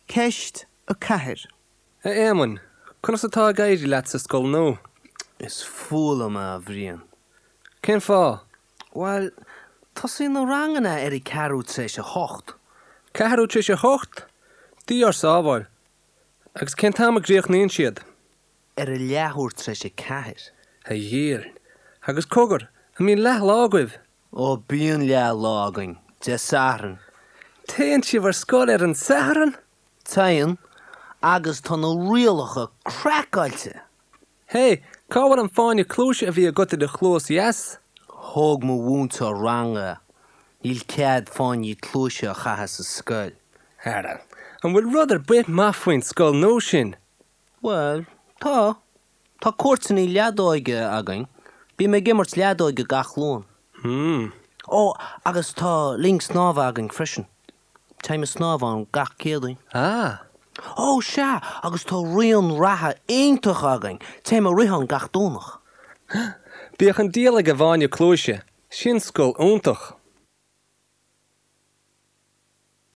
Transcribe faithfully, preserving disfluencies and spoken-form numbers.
Ceist a ceathair. A Éamoinn, conas atá ag éirí leat sa scoil nua? Is fuath liom é, a Bhriain. Cén fáth? Bhuel, tosaíonn na ranganna ar a ceathrú tar éis a hocht. Ceathrú tar éis a hocht? Dia ár sábháil. Agus cén t-am a gcríochnaíonn siad? Ar a leathuair tar éis a ceathair. A Dhia. Agus cogar, an mbíonn leathlá agaibh? Ó bíonn leathlá againn, Dé Sathairn. Téann sibh ar scoil ar an Satharn? Téann, agus tá na rialacha craiceáilte! Hé, cá bhfuil an fáinne cluaise a bhí agat i do chluas dheas? Thóg mo mhúinteoir ranga é. Níl cead fáinní cluaise a chaitheamh sa scoil. Ara, an bhfuil rud ar bith maith faoin scoil nua sin? Bhuel, tá. Tá cúirteanna leadóige againn. Bím ag imirt leadóige gach Luan. Hmm. Ó, agus tá linn snámha againn freisin. Téim ag snámh ann gach Céadaoin. Ah. Ó, sea, agus tá raon reatha iontach againn. Téim ag rith ann gach Domhnach. Bíodh an diabhal ag an bhfáinne cluaise, sin scoil iontach.